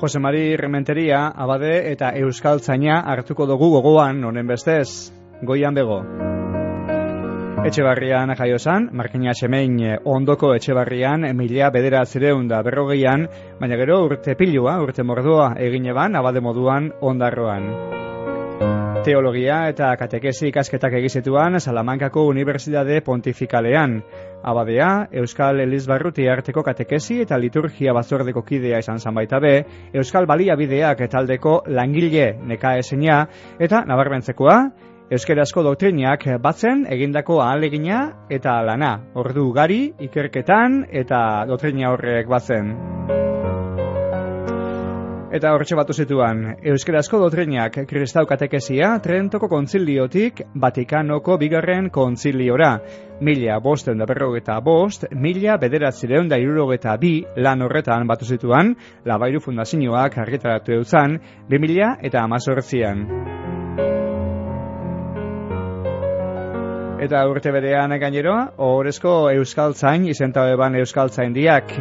Jose Mari Rementeria, abade eta euskaltzaina hartuko dugu gogoan, honen bestez, goian bego. Etxebarrian jaio zan, Markina Xemein ondoko Etxebarrian 1940an, baina gero urte pilua, urte mordoa egin eban, abade moduan ondarroan. Teologia eta katekesi ikasketak egizituan Salamankako Unibertsitate Pontifikalean. Abadea, Euskal Elizbarruti arteko katekesi eta liturgia batzordeko kidea izan zan baita be, Euskal Baliabideak taldeko langile nekaezina eta nabarmentzekoa, euskerazko doktrinak batzen egindako ahalegina eta lana, ordu ugari, ikerketan eta doktrina horrek batzen. Eta hortxe batu zituan, euskerazko doktrinak kristau katekesia Trentoko kontziliotik Vatikanoko bigarren kontziliora. 1555, 1962 lan horretan batu zituan, Labairu Fundazioak argitaratu euzan 2018an. Eta urte berean gainero, ohorezko euskaltzain izenta eban euskaltzaindiak.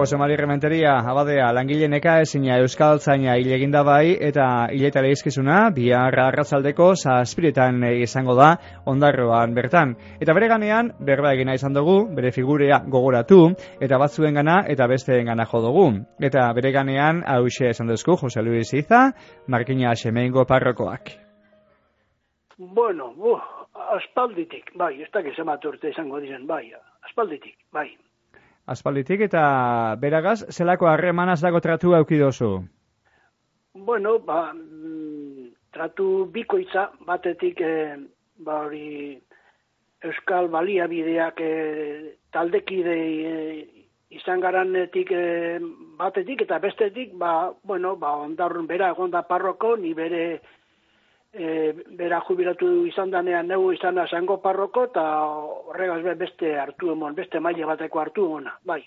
Jose Mari Rementeria, abadea, langile nekaezina euskaltzaina hil eginda bai, eta hiletara izkizuna, bihar arratzaldeko 7:00 izango da ondarroan bertan. Eta bere ganean, berba egina izan dugu, bere figurea gogoratu, eta batzuen gana eta besteen gana jo dugu. Eta bere ganean, hauxe esan duzku, Jose Luis Iza, Markina Xemeingo parrokoak. Bueno, aspalditik, bai, ez dakiz emat urte izango diren, bai, aspalditik, bai. Aspalditik eta beragaz, zelako harremanaz dago tratu aukidozu? Bueno, tratu bikoitza, batetik, hori Euskal Baliabideak taldekide izan garanetik batetik, eta bestetik, ondarrun bera egonda parroko, ni bera jubilatu izan danean neu izan zango parroko, eta horregaz beste hartu emon, beste maila bateko hartu emona, bai.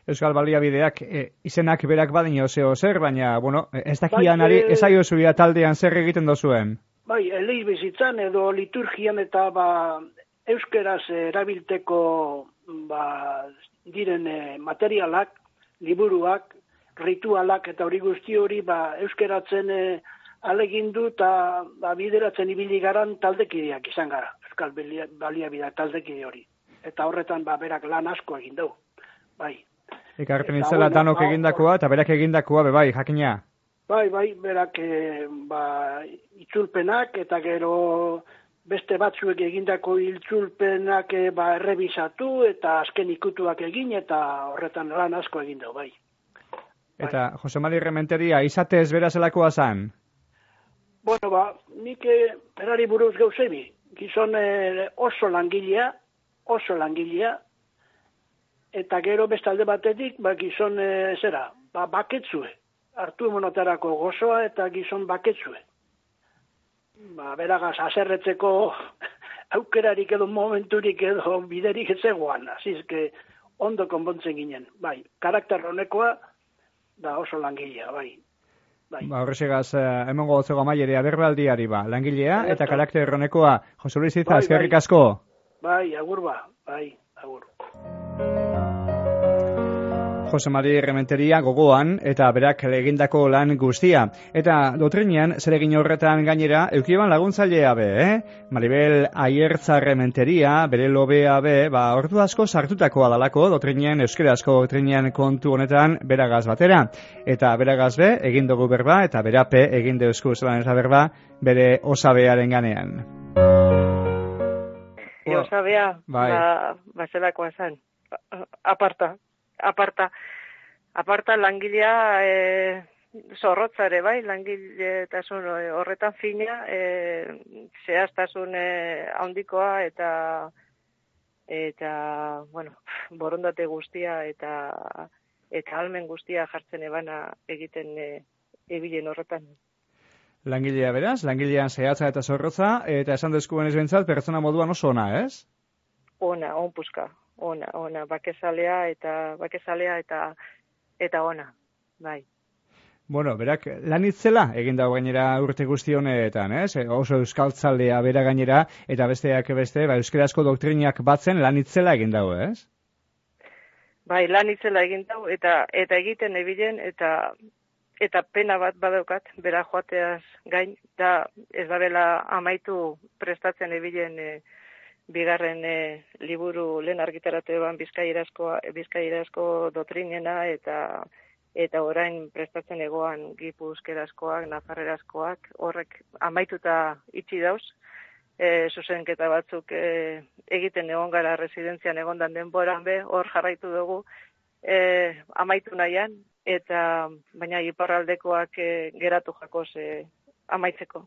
Euskal Baliabideak izenak berak badino zer, baina, ez dakianari ezaio zuia taldean zer egiten dozuen? Bai, eleiz bizitzan edo liturgian eta euskeraz erabilteko diren materialak, liburuak, ritualak eta hori guzti hori euskeratzen alegindu eta bideratzen ibili garan taldekideak izan gara, Euskal Baliabideak taldekide hori. Eta horretan berak lan asko egin dugu, bai. Ekarpen itzela danok egindakoa eta berak egindakoa, bai, jakina. Bai, berak itzulpenak eta gero beste batzuek egindako itzulpenak errebisatu eta azken ikutuak egin eta horretan lan asko egin dugu, bai. Eta Jose Mari Rementeria, izatez berazelakoa zan? Bueno, nik berari buruz gauzebi, gizon oso langilea, eta gero bestalde batetik, gizon baketzue, hartu emonotarako gozoa eta gizon baketzue. Beragaz, haserretzeko aukerarik edo momenturik edo biderik etzegoan, azizke ondo konpontzen ginen, bai, karakter honekoa da oso langilea, bai. Horrexegaz, emongo gotzego amaierea berbaldiari langilea eta karakter erronekoa. Jose Luis Iza, eskerrik asko. Bai, agur agur. Jose Mari Rementeria gogoan eta berak egindako lan guztia. Eta dotrinean, zer egin horretan gainera, eukieban laguntzailea be, Maribel Aiertza Rementeria, bere lobea be, ordu asko sartutakoa dalako dotrinean, euskerazko dotrinean kontu honetan beragaz batera. Eta beragaz be, egin dugu berba, eta berape egin deuzku zelan eta berba, bere osabearen ganean. Osabea, zelakoa zen, aparta langilea zorrotzare, bai, langiletasun horretan fina, zehaztasun handikoa eta borondate guztia eta almen guztia jartzen ebana egiten ebilen horretan. Langilea beraz, langilean zehatza eta zorrotza, eta esan dezkuen ez bentsat, pertsona moduan oso ona, ez? Ona, onpuska. Ona, bakezalea eta ona, bai. Bueno, berak lanitzela egin dago gainera urte guzti honetan, ez? Oso euskaltzalea bera gainera, eta besteak beste, euskerazko doktrinak batzen lanitzela egin dago, ez? Bai, lan itzela egin dau, eta egiten ebilen, eta pena bat badaukat, bera joateaz gain, da ez da bela amaitu prestatzen ebilen bigarren liburu lehen argitaratu eban Bizkaierazko doktrinena, eta orain prestatzen egoan gipuzkerazkoak, nafarrerazkoak, horrek amaituta itxi dauz, zuzenketa batzuk egiten egon gara residentzian egondan denboran be, hor jarraitu dugu amaitu nahian, baina iparraldekoak geratu jakoz amaitzeko.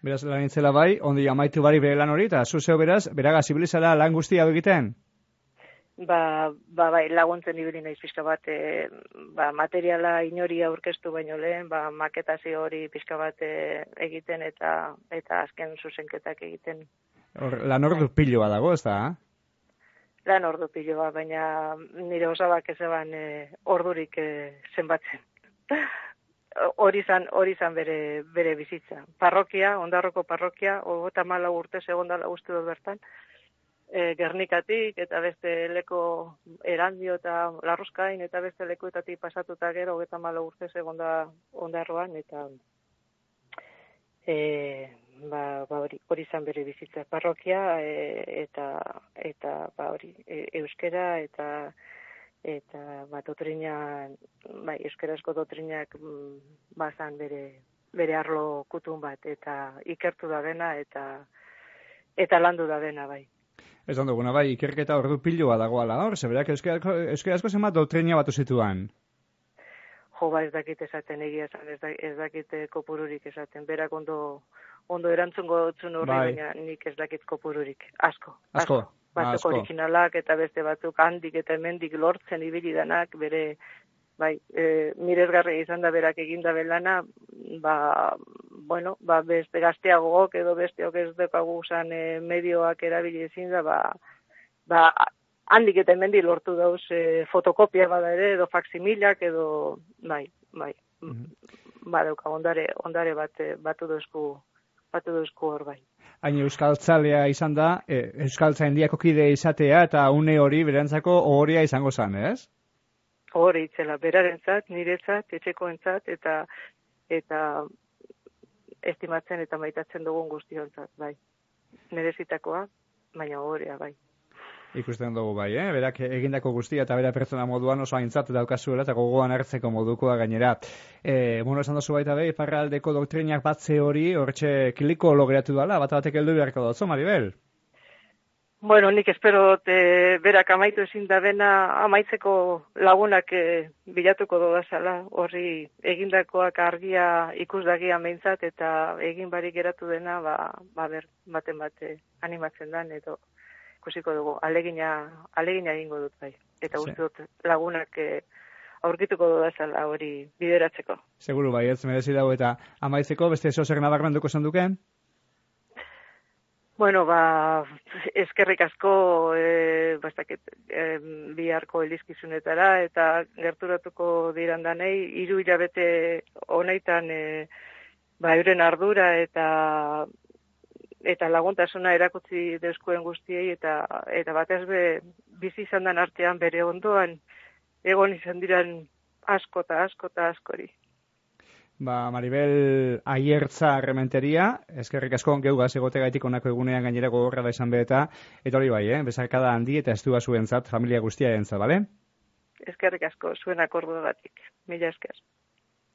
Beraz, lan itzela bai, ondi amaitu bari bere lan hori, eta zuzeo beraz, beraga zibilizala lan guztia egiten? Bai, laguntzen ibili naiz pixka bat, materiala inori aurkeztu baino lehen, maketazio hori pixka bat egiten eta azken zuzenketak egiten. Lan ordu piloa dago, ez da? Lan ordu piloa, baina nire osabak ez eban ordurik zenbatzen. Hori zan bere bizitza. Parrokia, Ondarroko parrokia, 34 urte segondala uste dut bertan, Gernikatik eta beste leko Erandio eta Larruskain eta beste lekuetatik pasatuta gero 34 urte segonda Ondarroan eta hori izan bere bizitza parrokia eta hori euskera eta doktrina euskarazko doktrinak bazan bere arlo kutun bat eta ikertu da dena eta landu da dena bai. Ez duguna, bai, ikerketa ordu piloa dagoala hor, zeberak euskarazko zenbat doktrina batu zituan? Jo, ez dakit esaten egia esan, ez dakit kopururik esaten, berak ondo erantzungo dutzun horri, baina nik ez dakit kopururik, asko. Batzuk originalak eta beste batzuk handik eta hemendik lortzen ibili danak, bere, miresgarria izan da berak eginda belana, beste gazteagok edo besteok ez dekagu usan medioak erabili ezin da, handik eta hemendik lortu dauz fotokopia bada ere, edo faksimilak, edo, badauka, ondare batu dozku hor bai. Hain euskaltzalea izan da, euskaltzaindiako kide izatea eta une hori berantzako ohoria izango zan, ez? Hori itzela, berarentzat, niretzat, etxekoentzat, eta estimatzen eta maitatzen dugun guztiontzat, bai. Merezitakoa, baina horia, bai. Ikusten dugu bai, berak egindako guztia eta bera pertsona moduan oso aintzat daukazuela eta gogoan hartzeko modukoa gainera. Esan dozu baita be, iparraldeko doktrinak batze hori, hortxe kiliko logratu dala, batek heldu beharko dutzu, Maribel? Bueno, nik espero berak amaitu ezin da bena amaitzeko lagunak bilatuko dodazala, horri egindakoak argia ikusdagia meintzat eta egin barik geratu dena, baten bate animatzen dan, edo ikusiko dugu, alegina egingo dut bai. Eta uste dut lagunak aurkituko dodazala hori bideratzeko. Seguru bai, ez merezi dago eta amaitzeko beste zozer nabarmenduko zenduken? Bueno, eskerrik asko biharko elizkizunetara eta gerturatuko dirandanei 3 hilabete honeitan euren ardura eta laguntasuna erakutsi deuskuen guztiei eta batez be bizi izan den artean bere ondoan egon izan diran asko eta askori. Maribel Aiertza Rementeria, eskerrik asko geugaz egotegaitik onako egunean gainera gogorra da izan beheta, eta hori bai, bezarkada handi eta estua zuentzat, familia guztia entzat, bale? Eskerrik asko, zuen akordu batik. Mila esker.